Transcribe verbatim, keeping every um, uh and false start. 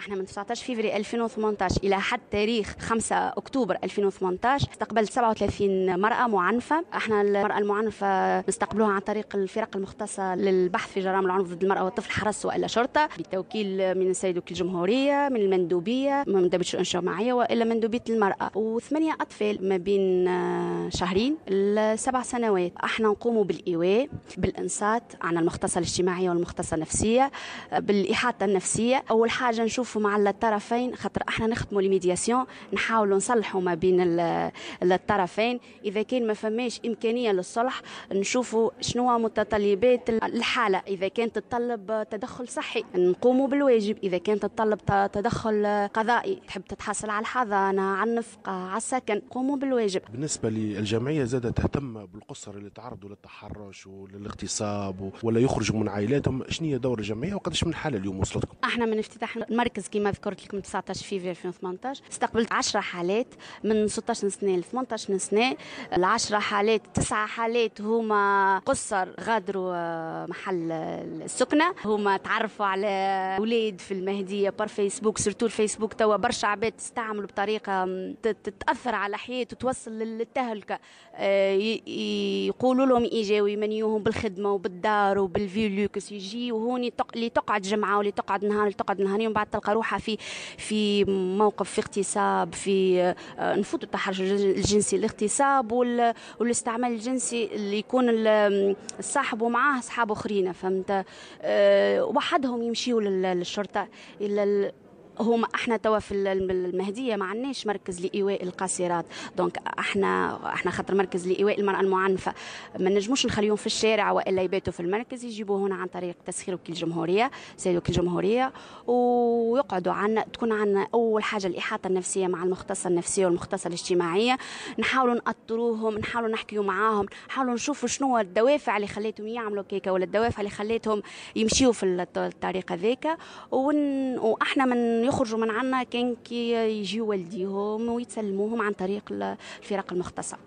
احنا من تسعطاش فيفري ألفين وثمنطاش الى حد تاريخ خمسة اكتوبر ألفين وثمنطاش استقبلت سبعة وثلاثين مرأة معنفة. احنا المرأة المعنفة نستقبلوها عن طريق الفرق المختصة للبحث في جرائم العنف ضد المرأة والطفل، حرس والا شرطة، بتوكيل من السيد وكيل الجمهورية، من المندوبية، من مندوبية الشؤون الاجتماعية والا مندوبية المرأة، وثمانية أطفال ما بين شهرين لسبع سنوات. احنا نقوم بالإيواء، بالإنصات عن المختصة الاجتماعية والمختصة النفسية، بالإحاطة النفسية. أول حاجة نشوفوا مع الطرفين، خاطر احنا نخدموا les médiations، نحاولوا نصلحوا ما بين الطرفين. إذا كان ما فماش إمكانية للصلح نشوفوا شنو متطلبات الحالة، إذا كانت تتطلب تدخل صحي نقوموا بالواجب، إذا كانت تتطلب تدخل قضائي، تحب تتحصل على الحضانة، على النفقة، على السكن، نقوموا بالواجب. بالنسبة للجمعية زادة تهتم بالقصر اللي تعرضوا للتحرش وللاغتصاب ولا يخرجوا من عائلاتهم، شنو هي دور الجمعية وقداش من حالة اليوم وصلتكم؟ احنا من افتتاح المركز كما ذكرت لكم تسعطاش فيفري ألفين وثمنطاش استقبلت عشرة حالات من ستطاش سنة ل ثمنطاش سنة. العشرة حالات تسعة حالات هما قصر غادروا محل السكنة، هما تعرفوا على أولاد في المهدية par فيسبوك، surtout الفيسبوك توا برشا عباد تستعملوا بطريقة تتأثر على حياته وتوصل للتهلكة. يقولوا لهم إيجاو يمنيوهم بالخدمة وبالدار وبال vie luxe، يجي وهوني اللي تقعد جمعة واللي تقعد نهار اللي تقعد نهارين، ومن بعد تلقى روحها في في موقف في اغتصاب، في نفوت التحرش الجنسي، الاغتصاب والاستعمال الجنسي اللي يكون الصاحب ومعاه اصحاب اخرين، فهمت؟ وحدهم يمشيوا للشرطة. هما احنا توا في المهدية ما عندناش مركز لايواء القاصرات، donc احنا احنا خاطر مركز لايواء المراة المعنفه ما نجموش نخليهم في الشارع والا يباتوا في المركز، يجيبوه هنا عن طريق تسخير وكيل الجمهورية، سيد وكيل الجمهورية، ويقعدوا عنا. تكون عندنا اول حاجة الاحاطة النفسية مع المختصة النفسية والمختصه الاجتماعية، نحاولوا نأطروهم، نحاولوا نحكيوا معاهم، نحاولوا نشوفوا شنو الدوافع اللي خليتهم يعملوا كيكة ولا الدوافع اللي خليتهم يمشيوا في الطريق هذاك. ون... واحنا من يخرجوا من عنا كان كي يجيو والديهم ويتسلموهم عن طريق الفرق المختصة.